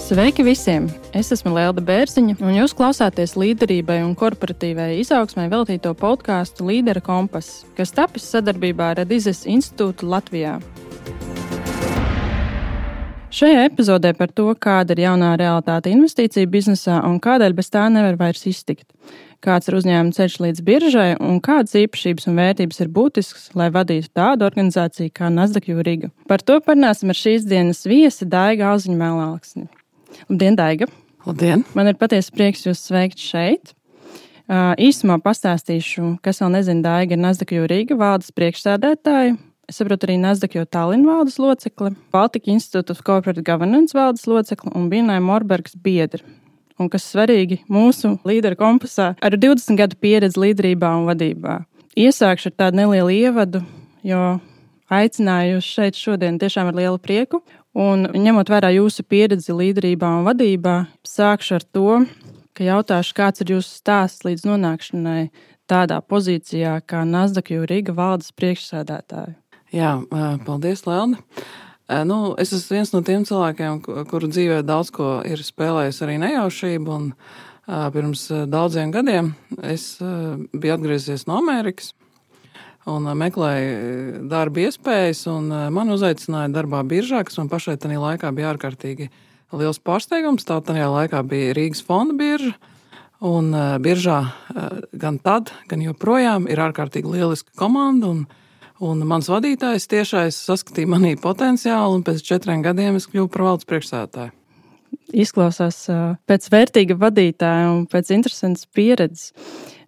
Sveiki visiem! Es esmu Lelda Bērziņa, un jūs klausāties līderībai un korporatīvai izaugsmai veltīto podkāstu Līdera kompass, kas tapis sadarbībā ar Redizes institūtu Latvijā. Šajā epizodē par to, kāda ir jaunā realitāte investīciju biznesā un kādēļ bez tā nevar vairs iztikt. Kāds ir uzņēmuma ceļš līdz biržai un kādas īpašības un vērtības ir būtiskas, lai vadītu tādu organizāciju kā Nasdaq Riga. Par to parunāsim ar šīs dienas viesi Daigu Alziņu-Melnāksni. Labdien, Daiga! Labdien! Man ir patiesi prieks jūs sveikt šeit. Īsumā pastāstīšu, kas vēl nezina, Daiga ir Nasdaq Riga valdes priekšsēdētāja. Es saprotu arī Nasdaq Tallinn valdes locekle, Baltic Institute of Corporate Governance valdes locekle un Binai Morbergs biedri. Un kas svarīgi mūsu līdera kompasā ar 20 gadu pieredzi līderībā un vadībā. Iesākšu ar tādu nelielu ievadu, jo aicināju jūs šeit šodien tiešām ar lielu prieku. Un ņemot vērā jūsu pieredzi līderībā un vadībā, sākšu ar to, ka jautāšu, kāds ir jūsu stāsts līdz nonākšanai tādā pozīcijā kā Nasdaq Riga valdes priekšsēdētāja. Jā, paldies, Lelda. Es esmu viens no tiem cilvēkiem, kuru dzīvē daudz ko ir spēlējis arī nejaušību. Un, pirms daudziem gadiem es biju atgriezies no Amerikas un meklēju darba iespējas. Man uzaicināja darbā biržā, kas man pašai tajā laikā bija ārkārtīgi liels pārsteigums. Tā tajā laikā bija Rīgas fonda birža. Un biržā gan tad, gan joprojām ir ārkārtīgi lieliska komanda. Un mans vadītājs tiešais saskatīja manī potenciālu, un pēc 4 gadiem es kļuvu par valdes priekšsēdētāju. Izklausās pēc vērtīga vadītāja un pēc interesantas pieredzes.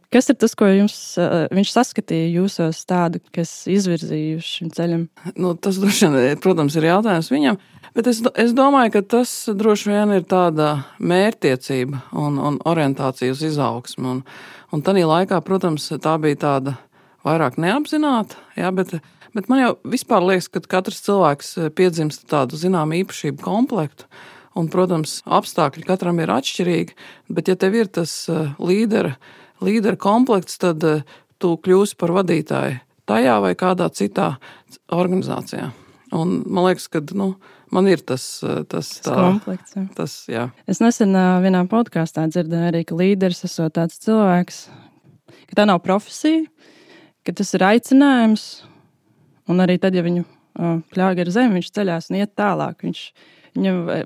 Kas ir tas, ko viņš saskatīja jūsos tādu, kas izvirzīja uz šim ceļam? Tas droši vien, protams, ir jautājums viņam, bet es domāju, ka tas droši vien ir tāda mērķtiecība un orientācija uz izaugsmu. Un tajā laikā, protams, tā bija tāda vairāk neapzināta, jā, bet man jau vispār liekas, ka katrs cilvēks piedzimst tādu zināmu īpašību komplektu, un, protams, apstākļi katram ir atšķirīgi, bet ja tev ir tas līdera komplekts, tad tu kļūsi par vadītāju tajā vai kādā citā organizācijā. Un man liekas, ka man ir tas komplekts. Jā. Es nesen vienā podkāstā dzirdēju arī, ka līderis esot tāds cilvēks, ka tā nav profesija, ka tas ir aicinājums, un arī tad, ja viņu pļāga ar zemi, viņš ceļās un iet tālāk.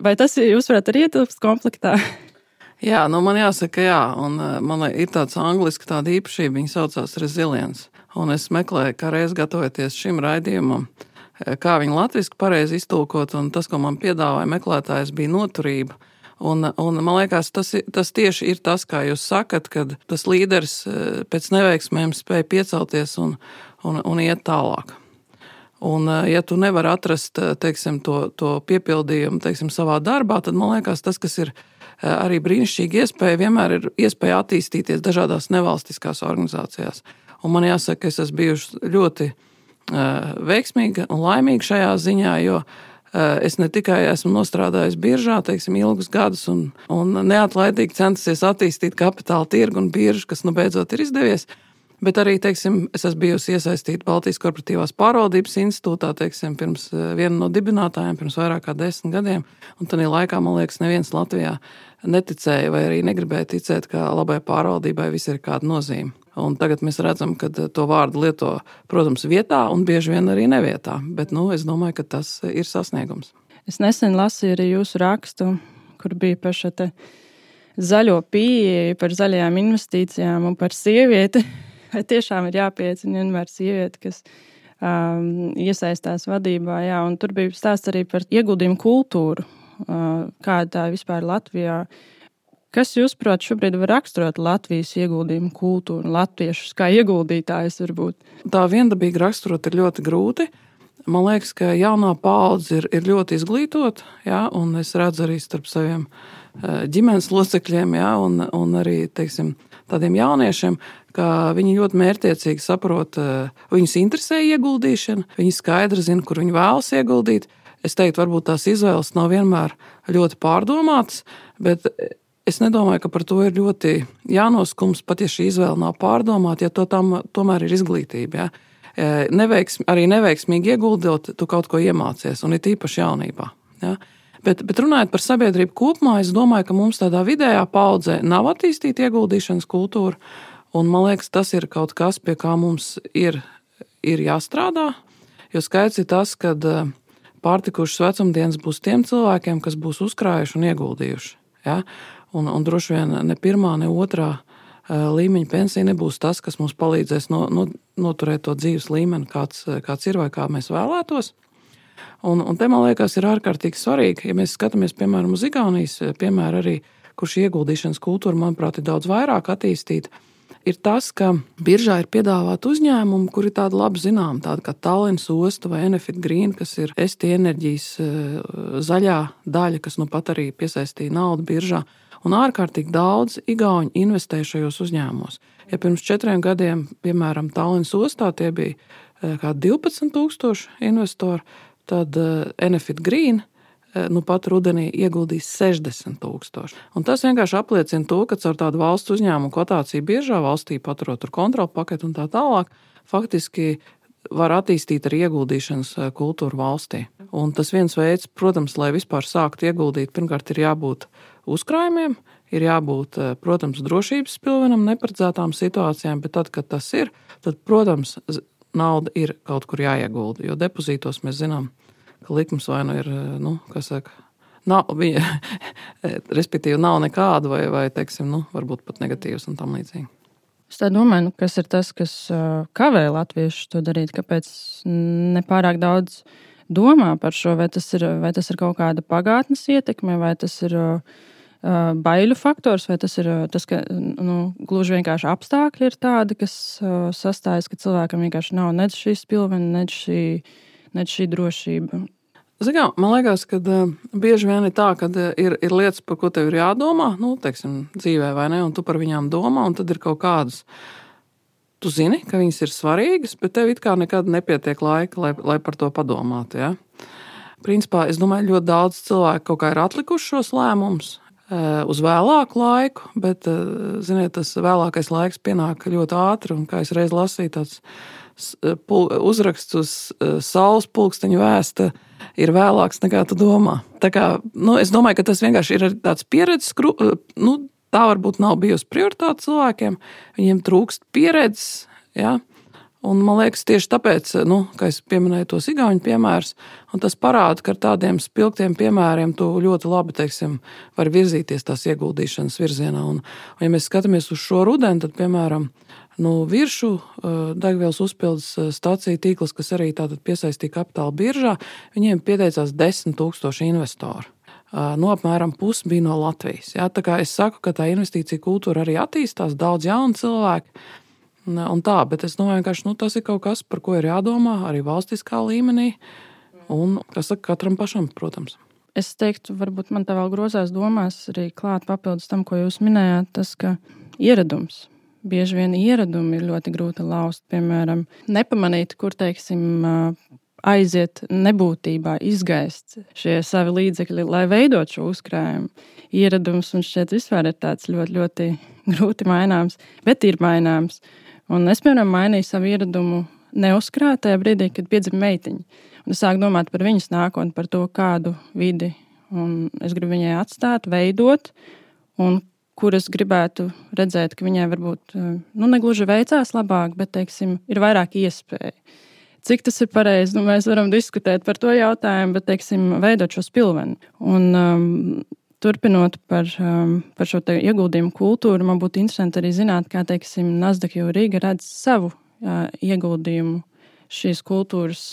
Vai tas jūs varat arī ietilpst komplektā? Jā, man jāsaka, jā, un man ir tāds angliski tāda īpašība, viņa saucās resilience. Un es meklēju, kā reiz gatavoties šim raidījumam, kā viņu latviski pareizi iztulkot, un tas, ko man piedāvāja meklētājs, bija noturība. Un man liekas, tas tieši ir tas, kā jūs sakat, kad tas līderis pēc neveiksmēm spēj piecelties un iet tālāk. Un ja tu nevari atrast, teiksim, to piepildījumu, teiksim, savā darbā, tad man liekas, tas, kas ir arī brīnišķīgi iespēja, vienmēr ir iespēja attīstīties dažādās nevalstiskās organizācijās. Un man jāsaka, es esmu bijuši ļoti veiksmīga un laimīga šajā ziņā, jo es ne tikai esmu nostrādājis biržā, teiksim, ilgus gadus un neatlaidīgi centusies attīstīt kapitāla tirgu un biržu, kas beidzot ir izdevies, bet arī, teiksim, es esmu bijusi iesaistīta Baltijas korporatīvās pārvaldības institūtā, teiksim, pirms viena no dibinātājiem, pirms vairāk kā 10 gadiem, un tajā laikā, man liekas, neviens Latvijā neticēja vai arī negribēja ticēt, ka labai pārvaldībai viss ir kāda nozīme. Un tagad mēs redzam, ka to vārdu lieto, protams, vietā un bieži vien arī nevietā, bet es domāju, ka tas ir sasniegums. Es nesen lasīju arī jūsu rakstu, kur bija par šo te zaļo pieeju, par zaļajām investīcijām un par sievieti. Vai tiešām ir jāpiecina vienmēr sievieti, kas iesaistās vadībā, jā, un tur bija stāsts arī par ieguldījumu kultūru, kāda tā vispār Latvijā. Kas, jūsuprāt, šobrīd var raksturot Latvijas ieguldījumu kultūru, latviešus kā ieguldītājus varbūt? Tā viendabīgi raksturot ir ļoti grūti. Man liekas, ka jaunā paudze ir ļoti izglītota, jā, un es redzu arī starp saviem ģimenes locekļiem, jā, un arī, teiksim, tādiem jauniešiem, ka viņi ļoti mērķtiecīgi saprot, viņus interesē ieguldīšana, viņi skaidri zina, kur viņi vēlas ieguldīt. Es teiktu, varbūt tās izvēles nav vienmēr ļoti pārdomātas, bet es nedomāju, ka par to ir ļoti jānoskums, pat ja šī izvēle nav pārdomāta, ja to tomēr ir izglītība. Ja? Arī neveiksmīgi ieguldot, tu kaut ko iemācies, un ir tīpaši jaunībā. Ja? Bet runājot par sabiedrību kopumā, es domāju, ka mums tādā vidējā paudzē nav attīstīta ieguldīšanas kultūra. Un man liekas, tas ir kaut kas, pie kā mums ir jāstrādā. Jo skaidrs ir tas, ka pārtikušas vecumdienas būs tiem cilvēkiem, kas būs uzkrājuši un ieguldījuši. Ja? Un droši vien ne pirmā, ne otrā līmeņa pensija nebūs tas, kas mums palīdzēs noturēt to dzīves līmeni, kāds ir vai kā mēs vēlētos. Un te, man liekas, ir ārkārtīgi svarīgi, ja mēs skatāmies, piemēram, uz Igaunijas piemēru arī, kur šī ieguldīšanas kultūra, manuprāt, ir daudz vairāk attīstīta, ir tas, ka biržā ir piedāvāti uzņēmumi, kuri ir tādi labi zinām, tādi kā Tallinas osta vai Enefit Green, kas ir ST enerģijas zaļā daļa, kas nu pat arī piesaistīja naudu biržā. Un ārkārtīgi daudz igauņu investē šajos uzņēmumos. Ja pirms 4 gadiem, piemēram, Tallinas ostā tie bija kā 12,000 investori, tad Enefit Green nu pat rudenī ieguldīs 60,000. Un tas vienkārši apliecina to, ka caur tādu valsts uzņēmumu kotāciju biržā, valstī paturot tur kontrolu paketu un tā tālāk, faktiski var attīstīt arī ieguldīšanas kultūru valstī. Un tas viens veids, protams, lai vispār sāktu ieguldīt, pirmkārt ir jābūt uzkrājumiem, ir jābūt, protams, drošības pilvenam neparedzētām situācijām, bet tad, kad tas ir, tad, protams, nauda ir kaut kur jāiegulda, jo depozītos mēs zinām, ka likums vai nu ir, respektīvi nav nekāda vai teiksim, varbūt pat negatīvs un tam līdzīgi. Es tā domāju, kas ir tas, kas kavē latviešus to darīt, kāpēc nepārāk daudz domā par šo, vai tas ir kaut kāda pagātnes ietekme, vai tas ir baiļu faktors, vai tas ir tas, ka gluži vienkārši apstākļi ir tādi, kas sastājas, ka cilvēkam vienkārši nav nec šī spilvena, nec šī drošība. Zinām, man liekas, ka bieži vien ir tā, ka ir lietas, par ko tev ir jādomā, teiksim, dzīvē vai ne, un tu par viņām domā, un tad ir kaut kādas. Tu zini, ka viņas ir svarīgas, bet tev it kā nekad nepietiek laika, lai par to padomātu. Ja? Principā, es domāju, ļoti daudz cilvēku kaut kā ir atlikuši šos lēmumus uz vēlāku laiku, bet, ziniet, tas vēlākais laiks pienāk ļoti ātri, un kā es reiz lasīju, tāds uzraksts uz saules pulksteņu vēsta ir vēlāks nekā tu domā. Tā kā, es domāju, ka tas vienkārši ir tāds pieredzes, tā varbūt nav bijusi prioritāte cilvēkiem, viņiem trūkst pieredzes, ja? Un man liekas tieši tāpēc, ka es pieminēju tos igauņu piemērus, un tas parāda, ka ar tādiem spilgtiem piemēriem tu ļoti labi, teiksim, var virzīties tās ieguldīšanas virzienā. Un ja mēs skatāmies uz šo rudeni, tad, piemēram, Viršu degvielas uzpildes stācija tīkls, kas arī tātad piesaistīja kapitāla biržā, viņiem pieteicās 10,000 investoru. Apmēram pusi bija no Latvijas. Ja? Tā kā es saku, ka tā investīcija kultūra arī attīstās, daudz jaunu cilvēku. Un tā, bet es domāju, ka tas ir kaut kas, par ko ir jādomā arī valstiskā līmenī. Un, kas saka, katram pašam, protams. Es teiktu, varbūt man tā vēl grozās domās arī klāt papildus tam, ko jūs minējāt, tas, ka ieradums. Bieži vien ieradumi ir ļoti grūti laust, piemēram, nepamanīt, kur, teiksim, aiziet nebūtībā, izgaist šie savi līdzekļi, lai veidot šo uzkrājumu. Ieradums un šķiet vispār ir tāds ļoti, ļoti grūti maināms, bet ir maināms. Un es, piemēram, mainīju savu ieradumu neuzkrāt tajā brīdī, kad piedzima meitiņa. Un es sāku domāt par viņas nākotni, par to, kādu vidi un es gribu viņai atstāt, veidot, un kur es gribētu redzēt, ka viņai varbūt negluži veicās labāk, bet, teiksim, ir vairāk iespēju. Cik tas ir pareizi? Mēs varam diskutēt par to jautājumu, bet, teiksim, veidot šo spilveni. Un turpinot par šo te ieguldījumu kultūru, man būtu interesanti arī zināt, kā, teiksim, Nasdaq Riga redz savu ieguldījumu šīs kultūras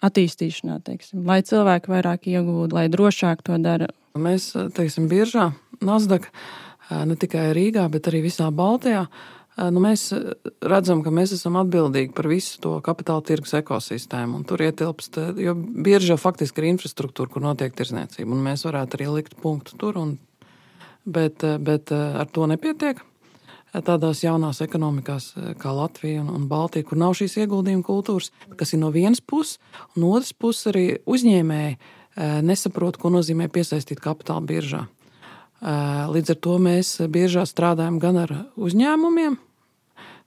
attīstīšanā, teiksim, lai cilvēki vairāk iegūtu, lai drošāk to dara. Mēs, teiksim, biržā Nasdaq ne tikai Rīgā, bet arī visā Baltijā, mēs redzam, ka mēs esam atbildīgi par visu to kapitāla tirgus ekosistēmu. Un tur ietilpst, jo birža faktiski ir infrastruktūra, kur notiek tirdzniecība, un mēs varētu arī likt punktu tur, bet ar to nepietiek. Tādās jaunās ekonomikās kā Latvija un Baltija, kur nav šīs ieguldījuma kultūras, kas ir no vienas puses, un otras puses arī uzņēmēji nesaprot, ko nozīmē piesaistīt kapitālu biržā. Līdz ar to mēs biežā strādājam gan ar uzņēmumiem,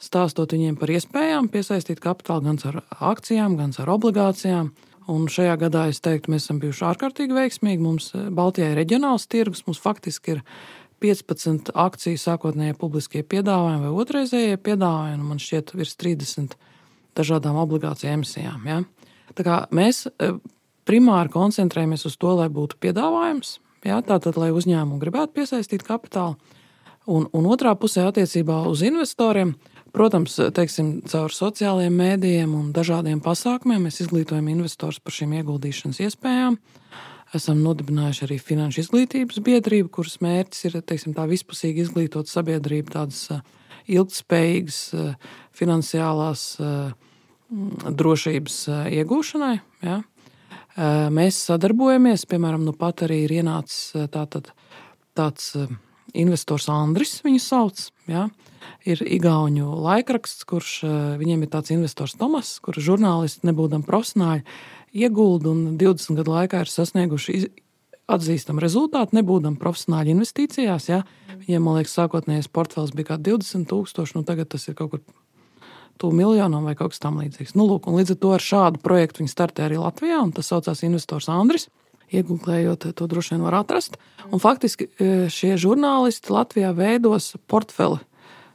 stāstot viņiem par iespējām piesaistīt kapitālu gan ar akcijām, gan ar obligācijām. Un šajā gadā es teiktu, mēs esam bijuši ārkārtīgi veiksmīgi. Mums Baltijā ir reģionāls tirgus, mums faktiski ir 15 akciju sākotnējie publiskie piedāvājumi vai otrreizējie piedāvājumi, un man šķiet virs 30 dažādām obligāciju emisijām. Ja? Tā kā mēs primāri koncentrējamies uz to, lai būtu piedāvājums, ja? Tātad, lai uzņēmumi gribētu piesaistīt kapitālu. Un otrā pusē attiecībā uz investoriem, protams, teiksim, caur sociālajiem mēdījiem un dažādiem pasākumiem mēs izglītojam investors par šīm ieguldīšanas iespējām. Esam nodibinājuši arī finanšu izglītības biedrību, kuras mērķis ir, teiksim, tā vispusīgi izglītot sabiedrību tādas ilgtspējīgas finansiālās drošības iegūšanai. Ja? Mēs sadarbojamies, piemēram, pat arī ir ienācis tāds investors Andris, viņu sauc. Ja? Ir igauņu laikraksts, kurš viņiem ir tāds investors Tomas, kurš žurnālisti nebūdam profesionāļi iegulda un 20 gadu laikā ir sasnieguši atzīstam rezultātu, nebūdam profesionāļi investīcijās. Ja? Viņiem, man liekas, sākotnējais portfels bija kā 20,000, tagad tas ir kaut kur tuvu miljonam vai kaut kas tam līdzīgs. Lūk, un līdz ar to ar šādu projektu viņi startē arī Latvijā, un tas saucās investors Andris. Iegūklējot, to droši vien var atrast. Un faktiski šie žurnālisti Latvijā veidos portfeli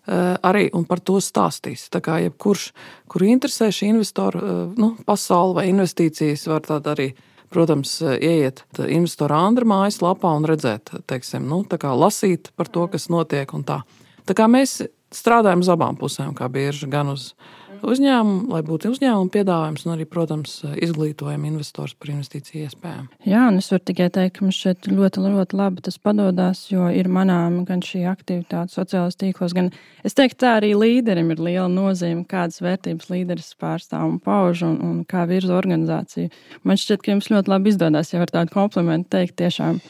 arī un par to stāstīs. Tā kā jebkurš, kuru interesē šī investoru pasaule vai investīcijas, var tāda arī, protams, ieiet investora Andra mājaslapā un redzēt, teiksim, tā kā lasīt par to, kas notiek un tā. Tā kā mēs strādājam uz abām pusēm, kā bieži gan uz uzņēmumu, lai būtu uzņēmumu piedāvājums, un arī, protams, izglītojam investors par investīciju iespējām. Jā, un es varu tikai teikt, ka mums šeit ļoti, ļoti labi tas padodas, jo ir manām gan šī aktivitāte sociālajos tīklos, gan es teiktu, tā arī līderim ir liela nozīme, kādas vērtības līderis pārstāv un pauž un kā virza organizāciju. Man šķiet, ka jums ļoti labi izdodas, ja var tādu komplimentu teikt tiešām.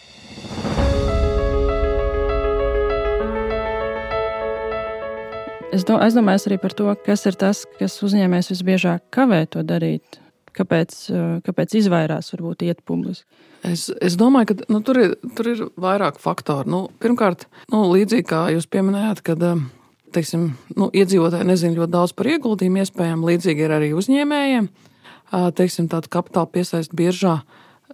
Es domāju arī par to, kas ir tas, kas uzņēmējs visbiežāk kavē to darīt. Kāpēc izvairās varbūt iet publiski? Es domāju, ka tur ir vairāk faktoru. Pirmkārt, līdzīgi kā jūs pieminējāt, kad teiksim, iedzīvotāji nezina ļoti daudz par ieguldījumu iespējām, līdzīgi ir arī uzņēmējiem. Teiksim, tāda kapitāla piesaista biržā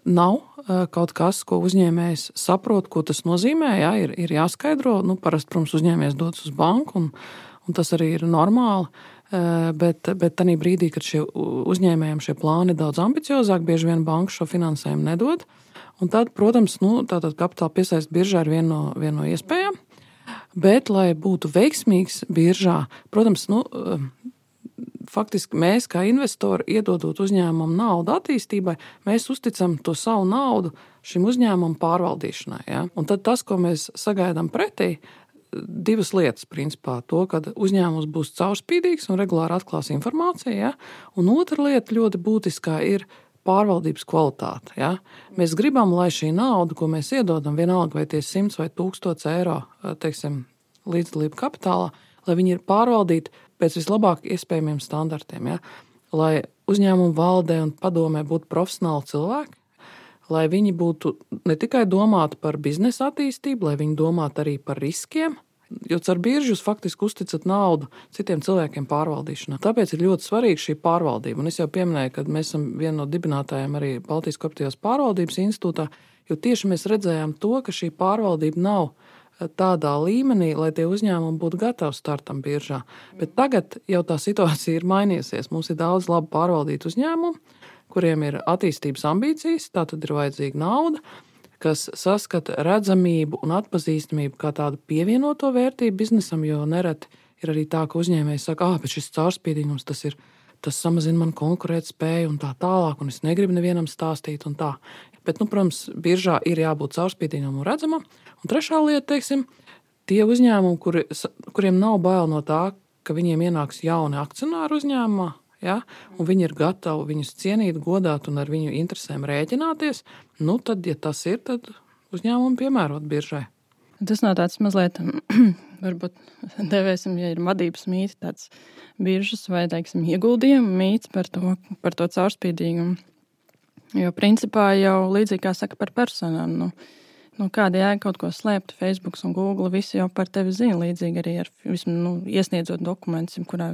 nav kaut kas, ko uzņēmējs saprot, ko tas nozīmē. Jā, ir jāskaidro. Parasti, protams, uzņēmējs dodas uz banku, un tas arī ir normāli. Bet tajā brīdī, kad šie uzņēmējiem šie plāni ir daudz ambiciozāki, bieži vien banka šo finansējumu nedod. Un tad, protams, tātad kapitāla piesaista biržā ir viena no iespējām. Bet, lai būtu veiksmīgs biržā, protams, faktiski mēs, kā investori, iedodot uzņēmumam naudu attīstībai, mēs uzticam to savu naudu šim uzņēmumam pārvaldīšanai. Ja? Un tad tas, ko mēs sagaidām pretī, divas lietas, principā, to, ka uzņēmums būs caurspīdīgs un regulāri atklās informāciju, ja? Un otra lieta ļoti būtiskā ir pārvaldības kvalitāte. Ja? Mēs gribam, lai šī nauda, ko mēs iedodam, vienalga vai tie 100 vai 1000 eiro, teiksim, līdzdalību kapitālā, lai viņi ir pārvaldīti pēc vislabāk iespējamiem standartiem. Ja? Lai uzņēmumu valdē un padomē būtu profesionāli cilvēki, lai viņi būtu ne tikai domāti par biznesa attīstību, lai viņi domātu arī par riskiem, jo caur biržu jūs faktiski uzticat naudu citiem cilvēkiem pārvaldīšanā. Tāpēc ir ļoti svarīga šī pārvaldība. Un es jau pieminēju, ka mēs esam viena no dibinātājiem arī Baltijas Korporatīvās pārvaldības institūtā, jo tieši mēs redzējām to, ka šī pārvaldība nav tādā līmenī, lai tie uzņēmumi būtu gatavi startam biržā. Bet tagad jau tā situācija ir mainījusies. Mums ir daudz labi pārvaldītu uzņēmumu, kuriem ir attīstības ambīcijas, tā tad ir vajadzīga nauda, kas saskata redzamību un atpazīstamību kā tādu pievienoto vērtību biznesam, jo nereti ir arī tā, ka uzņēmējs saka, bet šis caurspīdīgums, tas samazina man konkurētspēju un tā tālāk, un es negribu nevienam stāstīt un tā. Bet, protams, biržā ir jābūt caurspīdīgam un redzamam. Un trešā lieta, teiksim, tie uzņēmumi, kuriem nav bail no tā, ka viņiem ienāks jauni akcionāri uzņēmumā, ja? Un viņi ir gatavi viņus cienīt, godāt un ar viņu interesēm rēķināties, tad, ja tas ir, tad uzņēmumu piemērot biržai. Tas nav tāds mazliet, varbūt devēsim, ja ir vadības mīts, tāds biržas vai, teiksim, ieguldījumu mīts par to caurspīdīgumu. Jo principā jau līdzīgi kā saka par personām, kāda jēga kaut ko slēpt, Facebook un Google, visi jau par tevi zina, līdzīgi arī ar iesniedzot dokumentus, kurā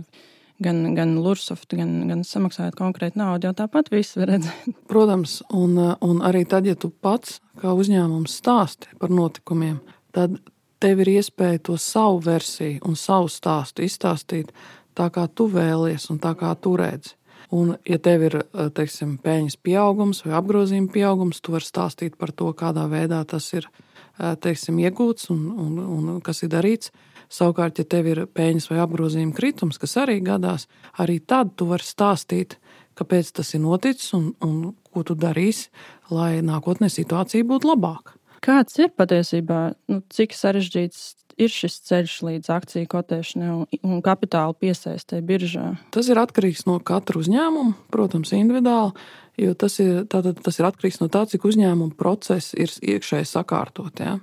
gan Lursoft, gan samaksājot konkrētu naudu, jau tāpat viss var redzēt. Protams, un arī tad, ja tu pats kā uzņēmums stāsti par notikumiem, tad tev ir iespēja to savu versiju un savu stāstu izstāstīt tā, kā tu vēlies un tā, kā tu redzi. Un, ja tev ir, teiksim, peļņas pieaugums vai apgrozījuma pieaugums, tu vari stāstīt par to, kādā veidā tas ir, teiksim, iegūts un kas ir darīts. Savukārt, ja tev ir peļņas vai apgrozījuma kritums, kas arī gadās, arī tad tu vari stāstīt, kāpēc tas ir noticis un ko tu darīsi, lai nākotnē situācija būtu labāka. Kāds ir patiesībā, cik sarežģīts ir šis ceļš līdz akciju kotēšanai un kapitāla piesaistē biržā? Tas ir atkarīgs no katra uzņēmuma, protams, individuāli, jo tas ir atkarīgs no tā, cik uzņēmuma procesi ir iekšēji sakārtot. Ja?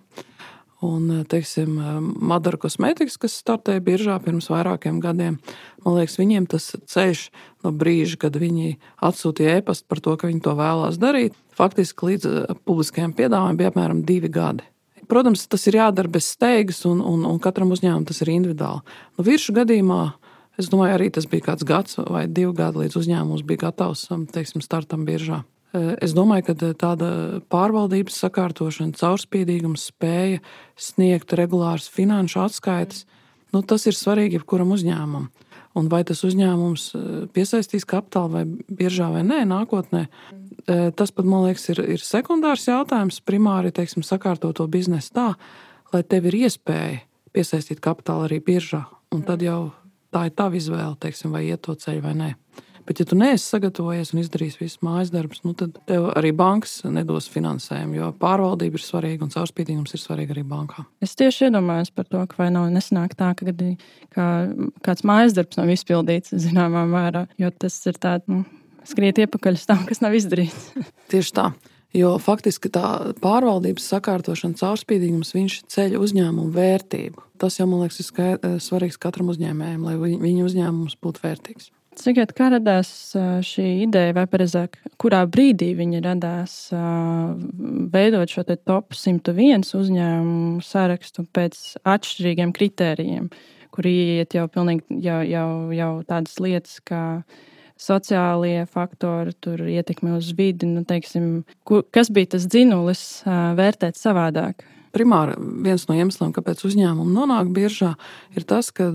Un, teiksim, Madara Cosmetics, kas startēja biržā pirms vairākiem gadiem, man liekas, viņiem tas ceļš no brīža, kad viņi atsūtīja e-pastu par to, ka viņi to vēlās darīt, faktiski līdz publiskajiem piedāvājumiem bija apmēram 2 gadi. Protams, tas ir jādara bez steigas, un katram uzņēmumam tas ir individuāli. Viršu gadījumā, es domāju, arī tas bija kāds gads vai 2 gadi, līdz uzņēmums bija gatavs, teiksim, startam biržā. Es domāju, ka tāda pārvaldības sakārtošana, caurspīdīgums, spēja sniegt regulāras finanšu atskaites, tas ir svarīgi jebkuram uzņēmumam. Un vai tas uzņēmums piesaistīs kapitālu vai biržā vai nē, nākotnē, tas pat, man liekas, ir sekundārs jautājums. Primāri, teiksim, sakārtot to biznesu tā, lai tev ir iespēja piesaistīt kapitālu arī biržā. Un tad jau tā ir tava izvēle, teiksim, vai iet to ceļu vai nē. Bet, ja tu neesi sagatavojies un izdarījis visu mājas darbus, tad tev arī bankas nedos finansējumu, jo pārvaldība ir svarīga un caurspīdīgums ir svarīga arī bankām. Es tieši iedomājos par to, ka vai nav nesanāk tā, ka kāds mājas darbs nav izpildīts zināmā mērā, jo tas ir tāds skriet iepakaļ uz tam, kas nav izdarīts. Tieši tā, jo faktiski tā pārvaldības sakārtošana, caurspīdīgums, viņš ceļ uzņēmumu vērtību. Tas jau, man liekas, ir svarīgs katram uzņēmējam, lai viņa uzņēmums būtu vērtīgs. Cikiet, kā radās šī ideja, vai pareizāk, kurā brīdī viņa radās veidot šo te top 101 uzņēmumu sarakstu pēc atšķirīgiem kritērijiem, kur iet jau pilnīgi jau tādas lietas, kā sociālie faktori, tur ietekme uz vidi, teiksim, kas bija tas dzinulis vērtēt savādāk? Primāri viens no iemesliem, kāpēc uzņēmumi nonāk biržā, ir tas, ka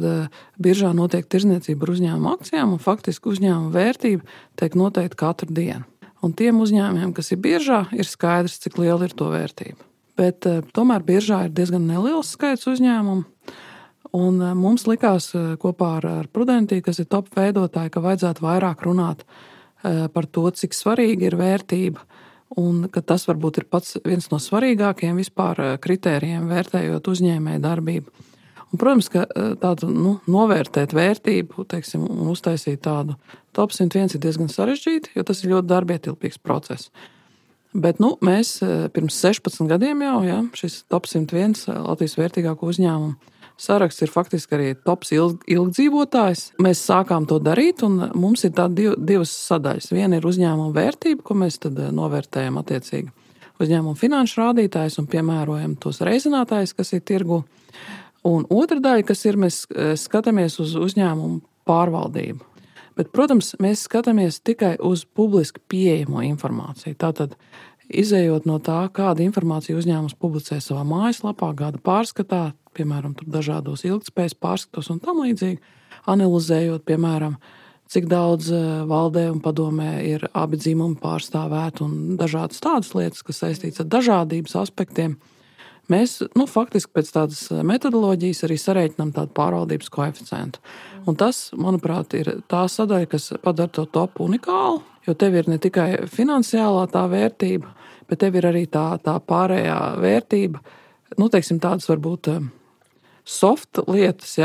biržā notiek tirdzniecība ar uzņēmumu akcijām un faktiski uzņēmuma vērtība tiek noteikta katru dienu. Un tiem uzņēmumiem, kas ir biržā, ir skaidrs, cik liela ir to vērtība. Bet tomēr biržā ir diezgan neliels skaits uzņēmumu. Un mums likās kopā ar Prudentī, kas ir top veidotāji, ka vajadzētu vairāk runāt par to, cik svarīga ir vērtība. Un ka tas varbūt ir pats viens no svarīgākajiem vispār kritērijiem vērtējot uzņēmēju darbību. Un, protams, ka tādu novērtēt vērtību, teiksim, un uztaisīt tādu top 101 ir diezgan sarežģīti, jo tas ir ļoti darbietilpīgs process. Bet mēs pirms 16 gadiem jau, šis top 101 Latvijas vērtīgāko uzņēmumu saraksts ir faktiski arī tops ilgdzīvotājs. Mēs sākām to darīt, un mums ir divas sadaļas. Viena ir uzņēmuma vērtība, ko mēs tad novērtējam attiecīgi uzņēmuma finanšu rādītājus un piemērojam tos reizinātājus, kas ir tirgu. Un otra daļa, kas ir, mēs skatāmies uz uzņēmumu pārvaldību. Bet, protams, mēs skatāmies tikai uz publiski pieejamo informāciju. Tātad, izējot no tā, kāda informācija uzņēmums publicē savā mājaslapā, gada pārskatā, piemēram, tur dažādos ilgtspējas pārskatos un tam līdzīgi, analizējot, piemēram, cik daudz valdē un padomē ir abi dzimumi pārstāvēti un dažādas tādas lietas, kas saistīts ar dažādības aspektiem. Mēs, faktiski pēc tādas metodoloģijas arī sarēķinām tādu pārvaldības koeficientu. Un tas, manuprāt, ir tā sadaļa, kas padara to topu unikālu, jo tev ir ne tikai finansiālā tā vērtība, bet tev ir arī tā pārējā vērtība, teiksim, tādas varbūt soft lietas,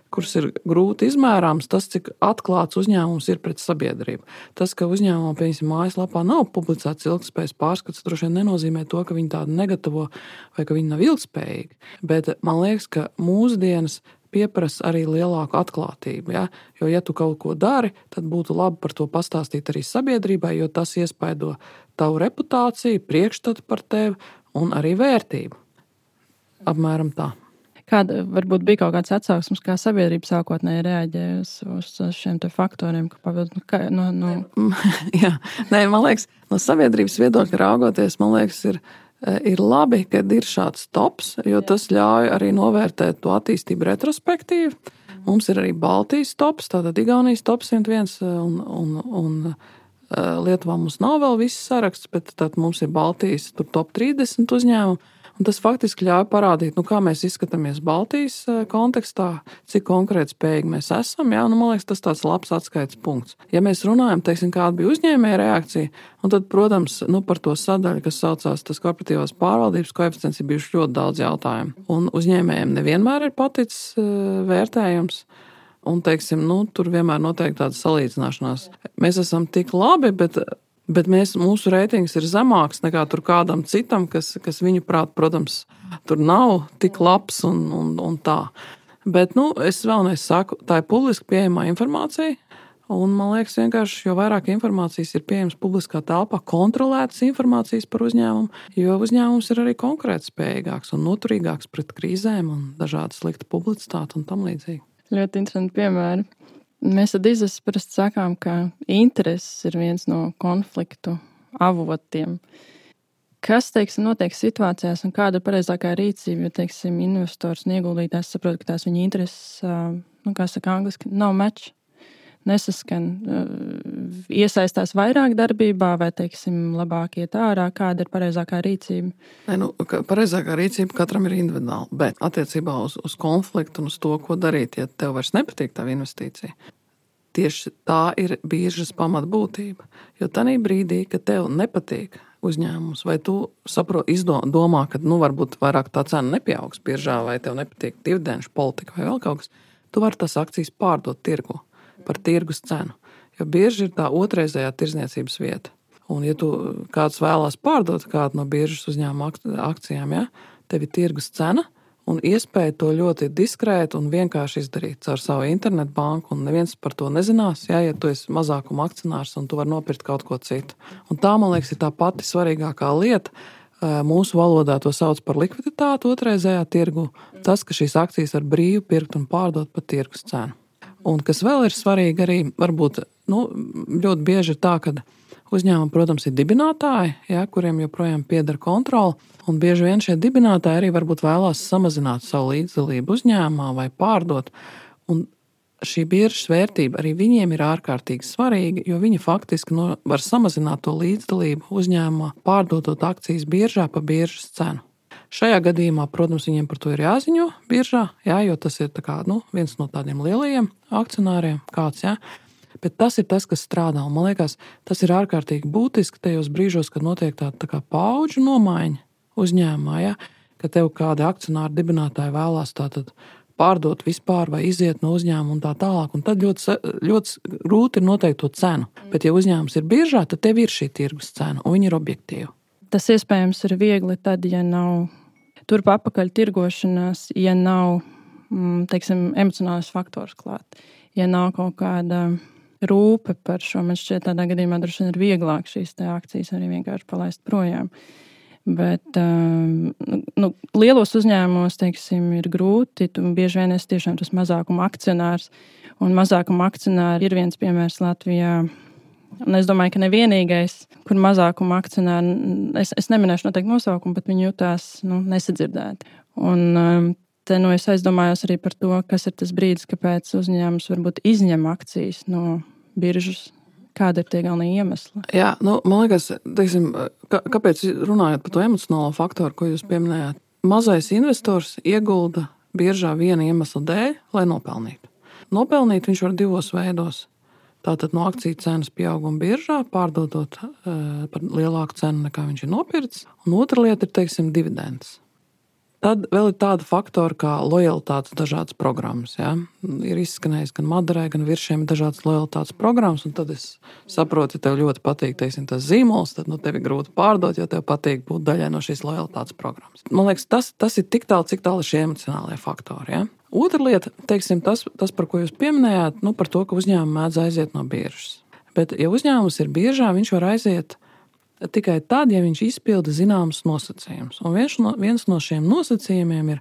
kuras ir grūti izmērāmas, tas, cik atklāts uzņēmums ir pret sabiedrību. Tas, ka uzņēmumā, piemēram, mājaslapā nav publicēts ilgtspējas pārskats, droši vien nenozīmē to, ka viņi tādu negatavo vai ka viņi nav ilgtspējīgi. Bet man liekas, ka mūsdienas pieprasa arī lielāku atklātību. Jo, ja tu kaut ko dari, tad būtu labi par to pastāstīt arī sabiedrībai, jo tas iespaido tavu reputāciju, priekšstatu par tevi un arī vērtību. Apmēram tā. Kāda varbūt bija kaut kāds atsauksmes, kā sabiedrība sākotnēji reaģēja uz šiem te faktoriem? Jā, nē, man liekas, no sabiedrības viedokļa raugoties, man liekas, ir labi, kad ir šāds tops, jo tas ļauj arī novērtēt to attīstību retrospektīvi. Mums ir arī Baltijas tops, tātad Igaunijas tops 101 un Lietuvā mums nav vēl viss saraksts, bet tad mums ir Baltijas top 30 uzņēmumu. Un tas faktiski ļauj parādīt, kā mēs izskatāmies Baltijas kontekstā, cik konkrēti spējīgi mēs esam. Jā, man liekas, tas tāds labs atskaites punkts. Ja mēs runājam, kāda bija uzņēmēja reakcija, un tad, protams, par to sadaļu, kas saucās tas korporatīvās pārvaldības koeficients, ir bijuši ļoti daudz jautājumu. Un uzņēmējiem nevienmēr ir paticis vērtējums. Un, tur vienmēr notiek tāda salīdzināšanās. Mēs esam tik labi, bet mūsu reitings ir zemāks nekā tur kādam citam, kas viņu prāt, protams, tur nav tik labs un tā. Bet, es vēlreiz saku, tā ir publiski pieejamā informācija. Un man liekas, vienkārši, jo vairāk informācijas ir pieejams publiskā telpā, kontrolētas informācijas par uzņēmumu, jo uzņēmums ir arī konkurētspējīgāks un noturīgāks pret krīzēm un dažādu sliktu publicitāti un tam līdzīgi. Ļoti interesanti piemēri. Mēs tad parasti sakām, ka intereses ir viens no konfliktu avotiem. Kas, notiek situācijās un kāda ir pareizākā rīcība, jo, investors un ieguldītājs saprot, ka tās viņa intereses, kā saka angliski, nav match, nesaskan, iesaistās vairāk darbībā vai, labāk iet ārā, kāda ir pareizākā rīcība? Pareizākā rīcība katram ir individuāli, bet attiecībā uz konfliktu un uz to, ko darīt, ja tev vairs nepatīk tā investīcija, tieši tā ir biržas pamatbūtība. Jo tanī brīdī, kad tev nepatīk uzņēmums, vai tu domā, ka varbūt vairāk tā cena nepieaugs biržā, vai tev nepatīk dividenšu politika vai vēl kaut kas, tu vari tās akcijas pārdot tirgu par tirgus cenu. Jo birža ir tā otrreizējā tirdzniecības vieta. Un, ja tu kāds vēlās pārdot kādu no biržas uzņēmuma akcijām, tev ir tirgus cena un iespēja to ļoti diskrēti un vienkārši izdarīt caur savu internetbanku, un neviens par to nezinās, ja tu esi mazākuma akcionārs un tu vari nopirkt kaut ko citu. Un tā, man liekas, ir tā pati svarīgākā lieta. Mūsu valodā to sauc par likviditāti otrreizējā tirgu. Tas, ka šīs akcijas var brīvi pirkt un pārdot par tirgus cenu. Un kas vēl ir svarīgi arī, varbūt ļoti bieži ir tā, ka uzņēmumi, protams, ir dibinātāji, kuriem joprojām pieder kontrole, un bieži vien šie dibinātāji arī varbūt vēlās samazināt savu līdzdalību uzņēmumā vai pārdot. Un šī biržas vērtība arī viņiem ir ārkārtīgi svarīga, jo viņi faktiski var samazināt to līdzdalību uzņēmumā, pārdodot akcijas biržā pa biržas cenu. Šajā gadījumā, protams, viņiem par to ir jāziņo biržā, jo tas ir viens no tādiem lielajiem akcionāriem kāds, bet tas ir tas, kas strādā. Un, man liekas, tas ir ārkārtīgi būtiski tajos brīžos, kad notiek tāda kā paudžu nomaiņa uzņēmumā, ka tev kādi akcionāri dibinātāji vēlās tātad pārdot vispār vai iziet no uzņēmuma un tā tālāk. Un tad ļoti grūti ir noteikt to cenu. Bet, ja uzņēmums ir biržā, tad tev ir šī tirgus cena un viņi ir objektīvi. Tas iespējams ir viegli tad, ja nav turp apakaļ tirgošanās, ja nav, emocionālais faktors klāt. Ja nav kaut kāda rūpe par šo, man šķiet, tādā gadījumā droši vien ir vieglāk šīs te akcijas arī vienkārši palaist projām. Bet lielos uzņēmumos, ir grūti, tu bieži vien esi tiešām tas mazākuma akcionārs, un mazākuma akcionāri ir viens piemērs Latvijā. Un es domāju, ka nevienīgais, kur mazākuma akcionāri, es neminēšu noteikti nosaukumu, bet viņi jutās nesadzirdēti. Un te es aizdomājos arī par to, kas ir tas brīdis, kāpēc uzņēmums varbūt izņem akcijas no biržas. Kāda ir tie galvenie iemesli? Jā, man liekas, kāpēc runājot par to emocionālo faktoru, ko jūs pieminējāt, mazais investors iegulda biržā viena iemesla dēļ, lai nopelnītu. Nopelnīt viņš var divos veidos. Tātad no akciju cenas pieauguma biržā, pārdodot par lielāku cenu, nekā viņš ir nopircis. Un otra lieta ir, dividendes. Tad vēl ir tāda faktora kā lojalitātes dažādas programmas. Ja? Ir izskanējis gan Maderai, gan Viršiem dažādas lojalitātes programmas, un tad es saprotu, ja tev ļoti patīk, tas zīmols, tad tev ir grūti pārdot, jo tev patīk būt daļai no šīs lojalitātes programmas. Man liekas, tas ir tik tālu, cik tālu šie emocionālie faktori. Ja? Otra lieta, tas, par ko jūs pieminējāt, par to, ka uzņēmumi mēdz aiziet no biržas. Bet, ja uzņēmums ir biržā, viņš var aiziet tikai tad, ja viņš izpilda zināmas nosacījumus. Un viens no šiem nosacījumiem ir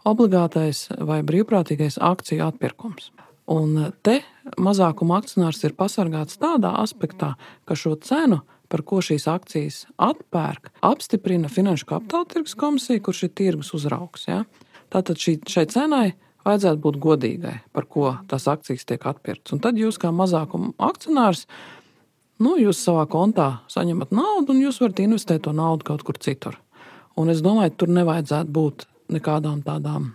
obligātais vai brīvprātīgais akciju atpirkums. Un te mazākuma akcionārs ir pasargāts tādā aspektā, ka šo cenu, par ko šīs akcijas atpērk, apstiprina Finanšu kapitāla tirgus komisija, kurš ir tirgus uzraugs. Ja? Tātad šai cenai vajadzētu būt godīgai, par ko tās akcijas tiek atpirktas. Un tad jūs kā mazākuma akcionārs, jūs savā kontā saņemat naudu un jūs varat investēt to naudu kaut kur citur. Un es domāju, tur nevajadzētu būt nekādām tādām,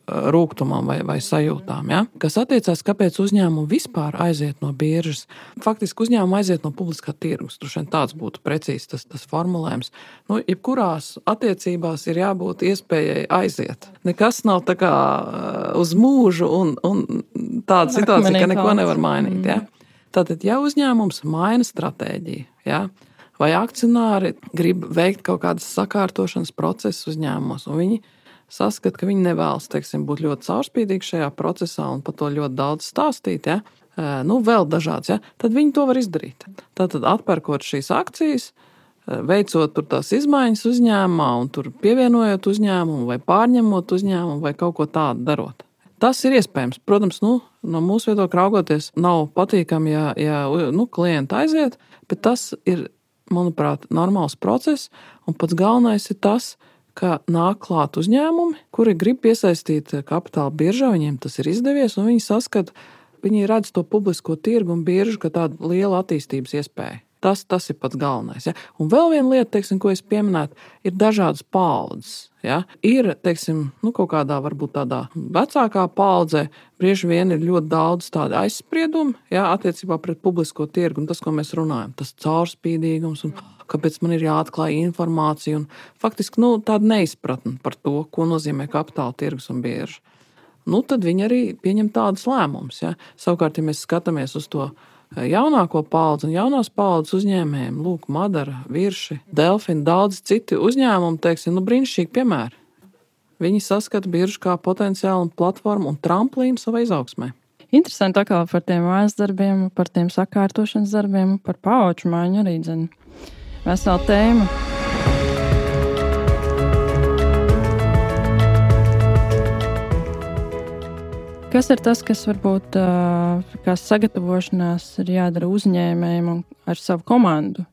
rūgtumam vai sajūtām. Ja? Kas attiecās, kāpēc uzņēmumi vispār aiziet no biržas. Faktiski uzņēmumi aiziet no publiskā tirgus. Tur tāds būtu precīzi tas formulējums. Jebkurās attiecībās ir jābūt iespējai aiziet. Nekas nav tā kā uz mūžu un tāda situācija, ka neko nevar mainīt. Ja? Tātad, ja uzņēmums maina stratēģiju, ja? Vai akcionāri grib veikt kaut kādas sakārtošanas procesus uzņēmumos, un viņi saskata, ka viņi nevēlas, būt ļoti caurspīdīgi šajā procesā un par to ļoti daudz stāstīt, ja? Vēl dažāds, ja? Tad viņi to var izdarīt. Tātad atpērkot šīs akcijas, veicot tur tās izmaiņas uzņēmumā un tur pievienojot uzņēmumu vai pārņemot uzņēmumu vai kaut ko tādu darot. Tas ir iespējams. Protams, no mūsu viedokļa raugoties, nav patīkami, ja klienti aiziet, bet tas ir, manuprāt, normāls process, un pats galvenais ir tas, ka nāk klāt uzņēmumi, kuri grib piesaistīt kapitāla biržā, viņiem tas ir izdevies, un viņi saskata, viņi redz to publisko tirgu un biržu kā tādu lielu attīstības iespēju. Tas ir pats galvenais. Ja? Un vēl viena lieta, ko es pieminētu, ir dažādas paaudzes. Ja? Ir, kaut kādā varbūt tādā vecākā paaudzē, bieži vien ir ļoti daudz tādu aizspriedumu, ja? Attiecībā pret publisko tirgu, un tas, ko mēs runājam, tas caurspīdīgums un kāpēc man ir jāatklāj informācija un faktiski tāda neizpratne par to, ko nozīmē kapitāla tirgus un birža. Tad viņi arī pieņem tādus lēmumus. Ja? Savukārt, ja mēs skatāmies uz to jaunāko paudzi un jaunās paudzes uzņēmējiem, Madara, Virši, Delfini, daudz citi uzņēmumi, brīnišķīgi piemēri. Viņi saskata biržu kā potenciālu platformu un tramplīnu savai izaugsmē. Interesanti atkal par tiem mājas darbiem, par tiem sakārtošanas darbiem, par paudžu maiņu arī dzene. Vesela tēma. Kas ir tas, kas varbūt kā sagatavošanās ir jādara uzņēmējiem un ar savu komandu,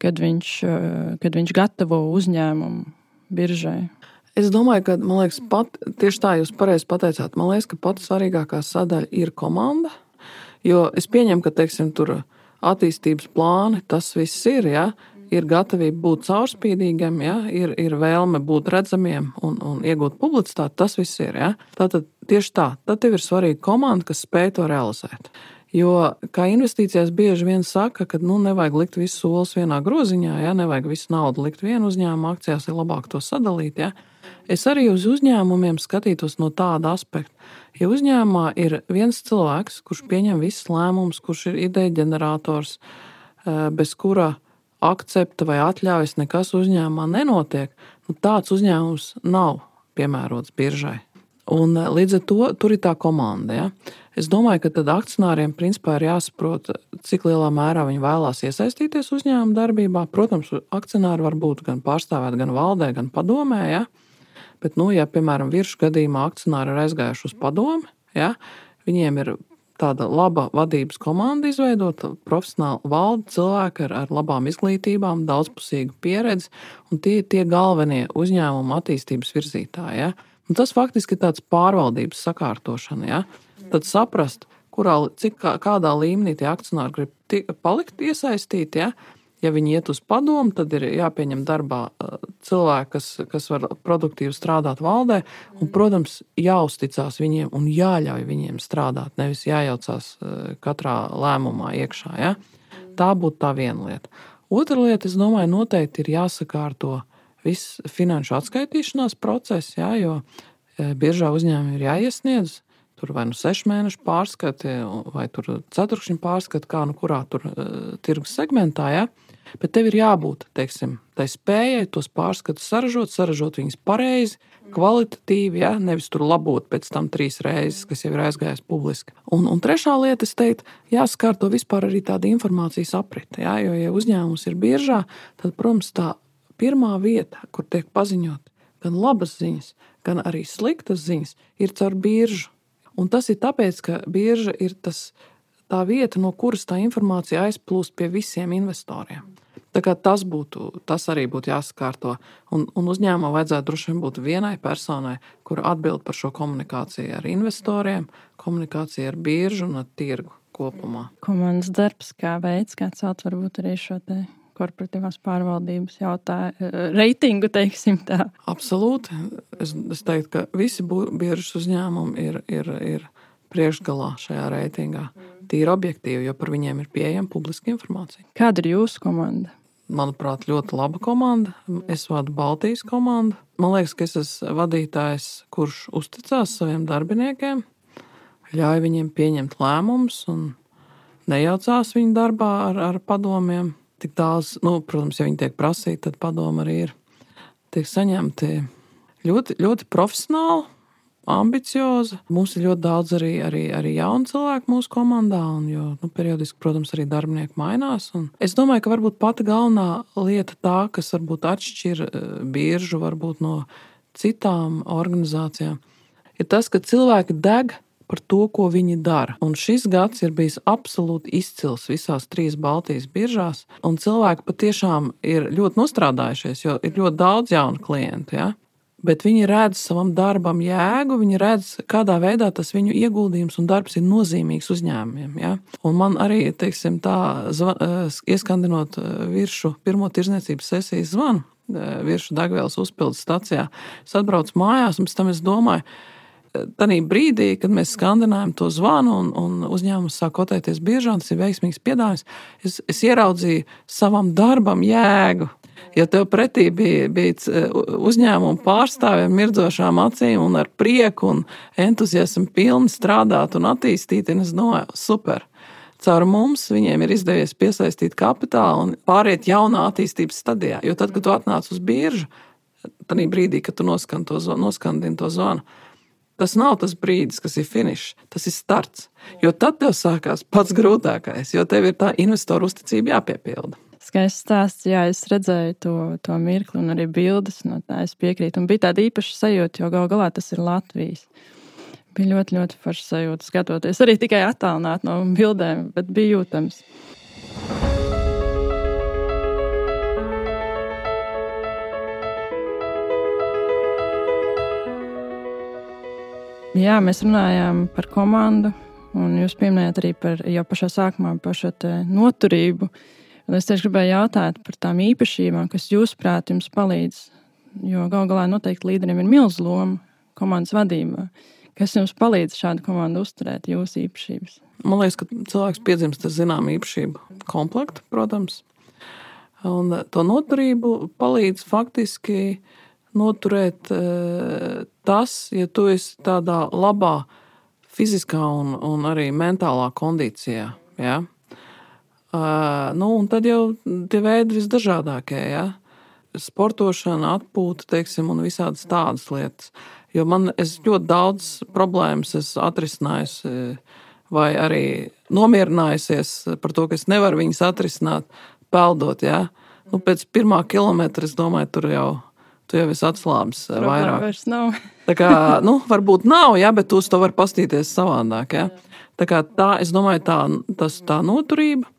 kad viņš gatavo uzņēmumu biržai? Es domāju, ka, man liekas, tieši tā jūs pareizi pateicāt, man liekas, ka pati svarīgākā sadaļa ir komanda, jo es pieņemu, ka, tur attīstības plāni, tas viss ir, ja? Ir gatavība būt caurspīdīgiem, ja? Ir vēlme būt redzamiem un iegūt publicitāti, tas viss ir. Ja? Tātad tieši tā, tad tev ir svarīga komanda, kas spēj to realizēt. Jo, kā investīcijās bieži vien saka, ka nevajag likt visu solis vienā groziņā, ja? Nevajag visu naudu likt vienu uzņēmumu akcijās, ir labāk to sadalīt. Ja? Es arī uz uzņēmumiem skatītos no tāda aspekta. Ja uzņēmumā ir viens cilvēks, kurš pieņem visus lēmumus, kurš ir ideja ģenerators, bez kura akcepta vai atļaujas nekas uzņēmumā nenotiek, tāds uzņēmums nav piemērots biržai. Un līdz ar to tur ir tā komanda. Ja? Es domāju, ka tad akcionāriem principā ir jāsaprot, cik lielā mērā viņi vēlās iesaistīties uzņēmuma darbībā. Protams, akcionāri var būt gan pārstāvēti, gan valdē, gan padomē. Ja? Bet, ja, piemēram, Viršu gadījumā akcionāri ir aizgājuši uz padomi, ja? Viņiem ir tāda laba vadības komanda izveidota, profesionāla valde, cilvēki ar labām izglītībām, daudzpusīgu pieredzi, un tie galvenie uzņēmuma attīstības virzītāji. Ja? Un tas faktiski ir tāds pārvaldības sakārtošana. Ja? Tad saprast, kādā līmenī tie akcionāri grib palikt iesaistīti. Ja? Ja viņi iet uz padomu, tad ir jāpieņem darbā cilvēki, kas var produktīvi strādāt valdē, un, protams, jāuzticās viņiem un jāļauj viņiem strādāt, nevis jājaucās katrā lēmumā iekšā. Ja? Tā būtu tā viena lieta. Otra lieta, es domāju, noteikti ir jāsakārto viss finanšu atskaitīšanās process, ja? Jo biržā uzņēmumi ir jāiesniedz, tur vai 6 mēnešu pārskati, vai tur 4 pārskati, kā kurā tur tirgus segmentā, ja? Bet tev ir jābūt, tai spējai tos pārskatus saražot viņus pareizi, kvalitatīvi, ja? Nevis tur labot pēc tam 3 reizes, kas jau ir aizgājis publiski. Un trešā lieta, es teiktu, jāskārto vispār arī tāda informācijas aprite, ja? Jo, ja uzņēmums ir biržā, tad, protams, tā pirmā vieta, kur tiek paziņot gan labas ziņas, gan arī sliktas ziņas ir caur biržu. Un tas ir tāpēc, ka birža ir tā vieta, no kuras tā informācija aizplūst pie visiem investoriem. Tā kā tas arī būtu jāsakārto. Un uzņēmumā vajadzētu droši vien būt vienai personai, kur atbild par šo komunikāciju ar investoriem, komunikāciju ar biržu un ar tirgu kopumā. Komandas darbs kā veids, kā celt varbūt arī šo te korporatīvās pārvaldības reitingu, teiksim tā. Absolūti. Es teiktu, ka visi biržas uzņēmumi ir priekšgalā šajā reitingā. Tīri objektīvi, jo par viņiem ir pieejama publiska informācija. Kāda ir jūsu komanda? Manuprāt, ļoti laba komanda. Es vadu Baltijas komandu. Man liekas, ka es esmu vadītājs, kurš uzticās saviem darbiniekiem, ļauj viņiem pieņemt lēmumus un nejaucās viņu darbā ar padomiem. Tik daudz, protams, ja viņi tiek prasīti, tad padomi arī tiek saņemti ļoti, ļoti profesionāli, ambiciozi. Mums ir ļoti daudz arī jaunu cilvēku mūsu komandā, jo periodiski, protams, arī darbinieki mainās. Un es domāju, ka varbūt pati galvenā lieta tā, kas varbūt atšķir biržu varbūt no citām organizācijām, ir tas, ka cilvēki deg par to, ko viņi dara. Un šis gads ir bijis absolūti izcils visās 3 Baltijas biržās, un cilvēki patiešām ir ļoti nostrādājušies, jo ir ļoti daudz jaunu klientu, ja? Bet viņi redz savam darbam jēgu, viņi redz, kādā veidā tas viņu ieguldījums un darbs ir nozīmīgs uzņēmumiem. Ja? Un man arī, teiksim, ieskandinot viršu pirmo tirdzniecības sesijas zvanu, viršu degvielas uzpildes stacijā, es atbraucu mājās, un pēc tam es domāju, tanī brīdī, kad mēs skandinājam to zvanu un uzņēmums sāk kotēties biržā, tas ir veiksmīgs piedāvājums, es ieraudzīju savam darbam jēgu. Ja tev pretī bija uzņēmuma pārstāvjiem mirdzošām acīm un ar prieku un entuziasmu pilni strādāt un attīstīt, un es domāju, super. Caur mums viņiem ir izdevies piesaistīt kapitālu un pāriet jaunā attīstības stadijā. Jo tad, kad tu atnāc uz biržu, tanī brīdī, kad tu noskandini to zvanu, tas nav tas brīdis, kas ir finišs, tas ir starts. Jo tad tev sākās pats grūtākais, jo tev ir tā investoru uzticība jāpiepilda. Skaists stāsts, jā, es redzēju to mirkli un arī bildes, no tā es piekrītu. Un bija tāda īpaša sajūta, jo gal galā tas ir Latvijas. Bija ļoti, ļoti forša sajūta skatoties, arī tikai attālināt no bildēm, bet bija jūtams. Jā, mēs runājām par komandu, un jūs pieminējāt arī jau pašā sākumā par šo te noturību. Un es tieši gribēju jautāt par tām īpašībām, kas jūsuprāt jums palīdz, jo gal galā noteikti līderiem ir milzu loma komandas vadībā. Kas jums palīdz šādu komandu uzturēt, jūsu īpašības? Man liekas, ka cilvēks piedzimst ar zināmu īpašību komplektu, protams. Un to noturību palīdz faktiski noturēt tas, ja tu esi tādā labā fiziskā un arī mentālā kondīcijā, ja? Un tad jau tie veidi visdažādākie, ja? Sportošana, atpūta, teiksim, un visādas tādas lietas. Jo es ļoti daudz problēmas esmu atrisinājusi vai arī nomierinājusies par to, ka es nevaru viņas atrisināt, peldot, ja? Pēc 1. kilometra, es domāju, tu jau esi atslābis vairāk. Vairs nav. Tā kā, varbūt nav, ja, bet tu uz to var pastīties savādāk, ja? Tā kā es domāju, tā noturība.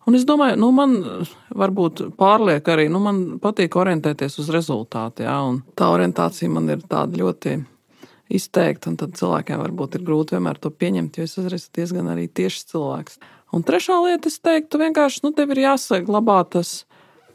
Un es domāju, man varbūt pārliek arī, man patīk orientēties uz rezultātu, ja, un tā orientācija man ir tāda ļoti izteikta, un tad cilvēkiem varbūt ir grūti vienmēr to pieņemt, jo es esmu diezgan arī tiešs cilvēks. Un trešā lieta, es teiktu, vienkārši, tev ir jāsaglabā tas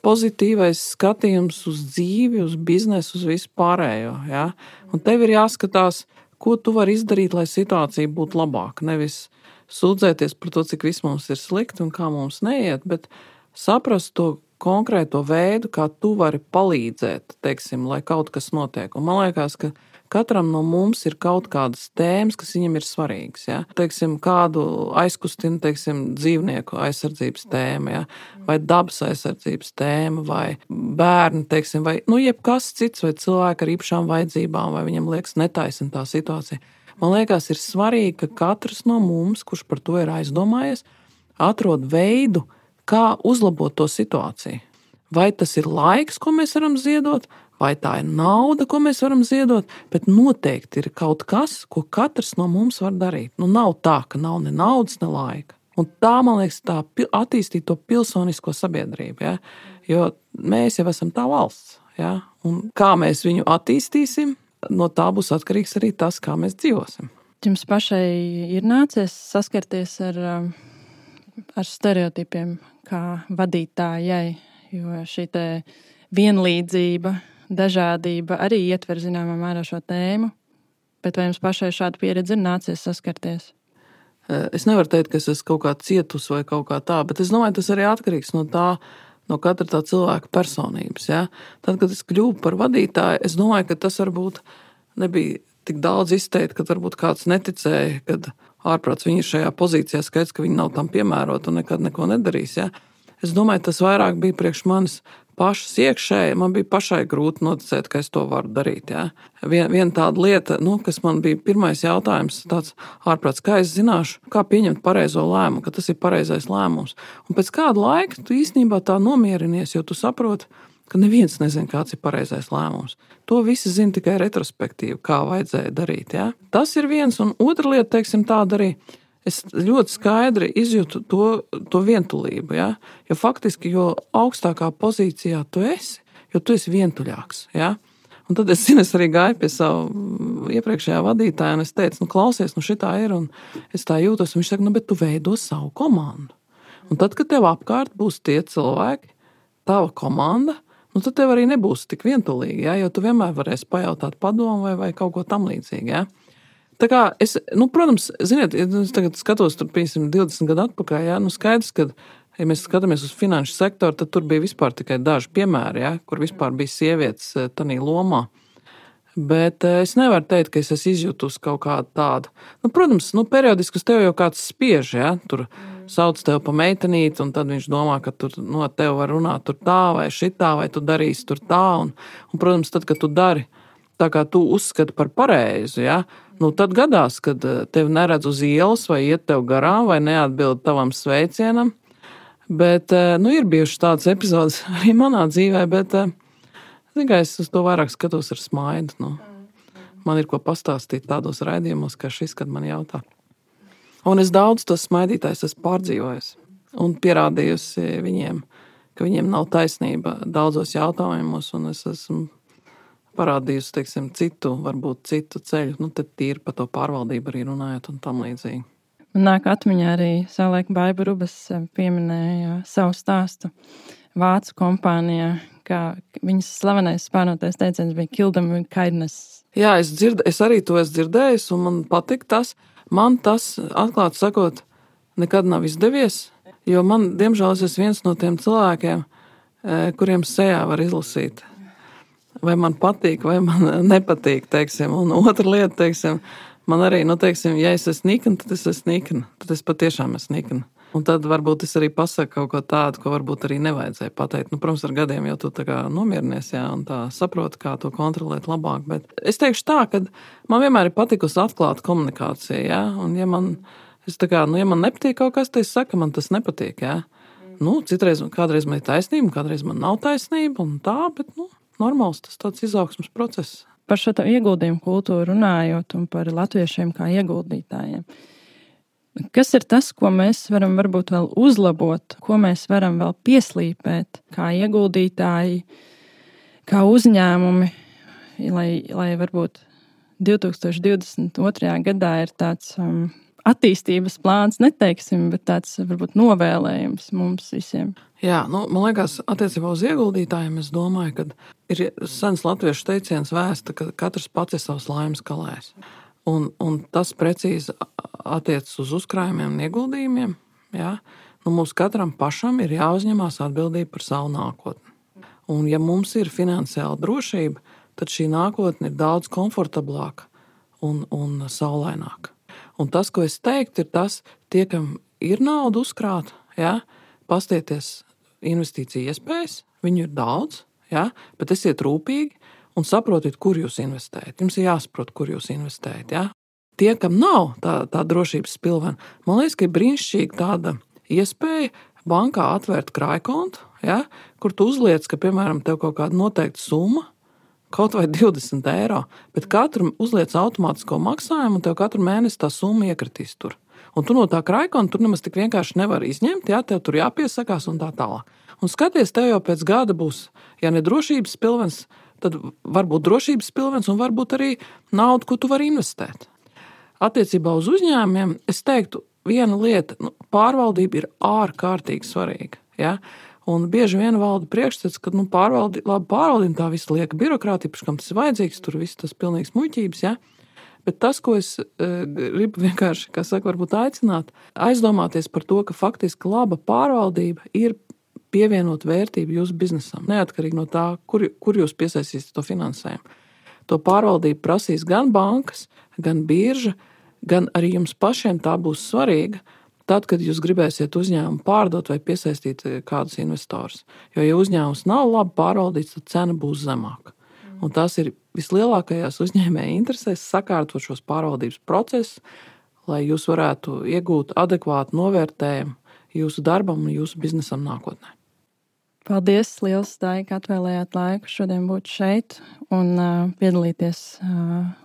pozitīvais skatījums uz dzīvi, uz biznesu, uz visu pārējo, ja, un tev ir jāskatās, ko tu vari izdarīt, lai situācija būtu labāka, nevis sūdzēties par to, cik viss mums ir slikti un kā mums neiet, bet saprast to konkrēto veidu, kā tu vari palīdzēt, teiksim, lai kaut kas notiek. Un man liekas, ka katram no mums ir kaut kādas tēmas, kas viņam ir svarīgas. Ja? Teiksim, kādu aizkustina, dzīvnieku aizsardzības tēma, ja? Vai dabas aizsardzības tēma, vai bērni, vai jebkas cits, vai cilvēki ar īpašām vajadzībām, vai viņam liekas netaisna tā situācija. Man liekas, ir svarīgi, ka katrs no mums, kurš par to ir aizdomājies, atrod veidu, kā uzlabot to situāciju. Vai tas ir laiks, ko mēs varam ziedot, vai tā ir nauda, ko mēs varam ziedot, bet noteikti ir kaut kas, ko katrs no mums var darīt. Nav tā, ka nav ne naudas, ne laika. Un tā, man liekas, tā attīstīt to pilsonisko sabiedrību, ja? Jo mēs jau esam tā valsts. Ja? Un kā mēs viņu attīstīsim, no tā būs atkarīgs arī tas, kā mēs dzīvosim. Jums pašai ir nācies saskarties ar stereotipiem kā vadītājai, jo šī te vienlīdzība, dažādība arī ietver zināmā mērā šo tēmu, bet vai jums pašai šāda pieredze ir nācies saskarties? Es nevaru teikt, ka es esmu kaut kā cietus vai kaut kā tā, bet es domāju, tas arī atkarīgs no katra tā cilvēka personības. Ja? Tad, kad es kļuvu par vadītāju, es domāju, ka tas varbūt nebija tik daudz izteikt, kad varbūt kāds neticēja, kad ārprāts viņi ir šajā pozīcijā, skaidrs, ka viņi nav tam piemēroti un nekad neko nedarīs. Ja? Es domāju, tas vairāk bija priekš manis pašas iekšēji, man bija pašai grūti noticēt, ka es to varu darīt. Ja? Viena tāda lieta, kas man bija pirmais jautājums, tāds ārprāts, kā es zināšu, kā pieņemt pareizo lēmumu, ka tas ir pareizais lēmums. Un pēc kāda laika tu īstenībā tā nomierinies, jo tu saproti, ka neviens nezina, kāds ir pareizais lēmums. To visi zina tikai retrospektīvi, kā vajadzēja darīt. Ja? Tas ir viens, un otra lieta, teiksim, tāda arī. Es ļoti skaidri izjūtu to vientulību, ja? Jo faktiski, jo augstākā pozīcijā tu esi, jo tu esi vientuļāks. Ja? Un tad es arī gāju pie savu iepriekšējā vadītāja, un es teicu, klausies, šitā ir, un es tā jūtos, un viņš saka, bet tu veido savu komandu. Un tad, kad tev apkārt būs tie cilvēki, tava komanda, tad tev arī nebūs tik vientulīgi, ja? Jo tu vienmēr varēsi pajautāt padomu vai kaut ko tam līdzīgi. Ja? Tā kā es, protams, ziniet, es tagad skatos tur, piemēram, 20 gadu atpakaļ, ja? Skaidrs, ka, ja mēs skatāmies uz finanšu sektoru, tad tur bija vispār tikai daži piemēri, ja? Kur vispār bija sievietes tanī lomā. Bet es nevaru teikt, ka es esmu izjutus kaut kādu tādu. Protams, periodiski uz tevi jau kāds spiež, ja? Tur sauc tevi pa meitenīti, un tad viņš domā, ka tur tevi var runāt tur tā vai šitā, vai tu darīsi tur tā. Un protams, tad, kad tu dari tā, kā tu uzskati par pareizu, ja? Tad gadās, kad tevi neredz uz ielas vai iet tev garām vai neatbild tavam sveicienam. Bet, ir bijušas tādas epizodes arī manā dzīvē, bet, es uz to vairāk skatos ar smaidu. Man ir ko pastāstīt tādos raidījumos, kā šis, kad man jautā. Un es daudz tos smaidītājus esmu pārdzīvojusi un pierādījusi viņiem, ka viņiem nav taisnība daudzos jautājumos, un es esmu parādījusi, teiksim, varbūt citu ceļu, tad tīri par to pārvaldību arī runājot un tam līdzīgi. Man nāk atmiņā arī savulaik Baiba Rubas pieminēja savu stāstu Vācu kompānijā, kā viņas slavenais spārnotais teiciens bija kill them with kindness. Jā, es arī to esmu dzirdējis, un man patīk tas. Man tas, atklāti sakot, nekad nav izdevies, jo man, diemžēl, es esmu viens no tiem cilvēkiem, kuriem sejā var izlasīt. Vai man patīk, vai man nepatīk, teiksim. Un otra lieta, teiksim, man arī, ja es esmu nikna, tad es esmu nikna. Tad es patiešām esmu nikna. Un tad varbūt es arī pasaku kaut ko tādu, ko varbūt arī nevajadzēja pateikt. Protams, ar gadiem jau tu tā kā nomierinies, jā, un tā saproti, kā to kontrolēt labāk. Bet es teikšu tā, ka man vienmēr ir patikusi atklāta komunikācija, jā. Un ja man nepatīk kaut kas, tad es saku, man tas nepatīk, jā. Kādreiz man ir taisnība, kādreiz man nav taisnība, un tā, bet, normāls tas tāds izaugsmas process. Par šo ieguldījumu kultūru runājot un par latviešiem kā ieguldītājiem. Kas ir tas, ko mēs varam varbūt vēl uzlabot, ko mēs varam vēl pieslīpēt kā ieguldītāji, kā uzņēmumi, lai varbūt 2022. gadā ir tāds attīstības plāns, neteiksim, bet tāds varbūt novēlējums mums visiem. Jā, man liekas, attiecībā uz ieguldītājiem, es domāju, ka ir sens latviešu teiciens vēsta, ka katrs pats ir savs laimes kalējs. Un tas precīzi attiecas uz uzkrājumiem un ieguldījumiem. Ja? Mums katram pašam ir jāuzņemās atbildība par savu nākotni. Un ja mums ir finansiāla drošība, tad šī nākotne ir daudz komfortablāka un saulaināka. Un tas, ko es teiktu, ir tas, tie, kam ir nauda uzkrāta, ja? Pastieties investīciju iespējas, viņu ir daudz, ja? Bet esiet rūpīgi un saprotiet, kur jūs investējat. Jums ir jāsaprot, kur jūs investējat. Ja? Tie, kam nav tā drošības spilvena, man liekas, ka ir brīnišķīga tāda iespēja bankā atvērt krājkontu, ja? Kur tu uzliec, ka, piemēram, tev kaut kāda noteikta summa kaut vai 20 eiro, bet katru uzliec automātisko maksājumu, un tev katru mēnesi tā summa iekritīs tur. Un tu no tā kraikona tur nemaz tik vienkārši nevari izņemt, jā, tev tur jāpiesakās un tā tālāk. Un skaties, tev jau pēc gada būs, ja ne drošības pilvens, tad varbūt drošības pilvens un varbūt arī nauda, ko tu vari investēt. Attiecībā uz uzņēmumiem es teiktu, viena lieta, pārvaldība ir ārkārtīgi svarīga. Ja? Un bieži vien valda priekšstats, ka pārvaldība tā visa lieka birokrātija, kam tas ir vajadzīgs, tur viss tas pilnīgs muļķības. Ja? Bet tas, ko es gribu vienkārši, varbūt aicināt, aizdomāties par to, ka faktiski laba pārvaldība ir pievienot vērtību jūsu biznesam, neatkarīgi no tā, kur jūs piesaistīsiet to finansējumu. To pārvaldību prasīs gan bankas, gan birža, gan arī jums pašiem tā būs svarīga, tad, kad jūs gribēsiet uzņēmumu pārdot vai piesaistīt kādus investorus. Jo, ja uzņēmums nav labi pārvaldīts, tad cena būs zemāka. Un tas ir vislielākajās uzņēmēja interesēs sakārtot šos pārvaldības procesus, lai jūs varētu iegūt adekvātu novērtējumu jūsu darbam un jūsu biznesam nākotnē. Paldies, liels, Dai, ka atvēlējāt laiku šodien būt šeit un piedalīties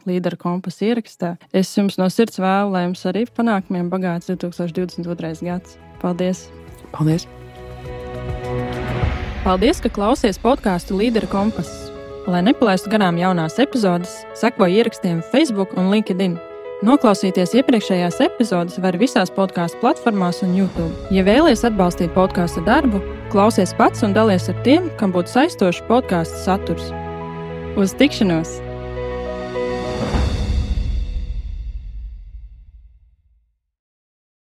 Līdera kompasa ierakstā. Es jums no sirds vēlu, lai jums arī panākumiem bagāts 2022. gads. Paldies! Paldies! Paldies, ka klausies podcastu Līdera kompas. Lai nepalaistu garām jaunās epizodes, seko ierakstiem Facebook un LinkedIn. Noklausīties iepriekšējās epizodes var visās podcastu platformās un YouTube. Ja vēlies atbalstīt podcastu darbu, klausies pats un dalies ar tiem, kam būtu saistošs podcastu saturs. Uz tikšanos!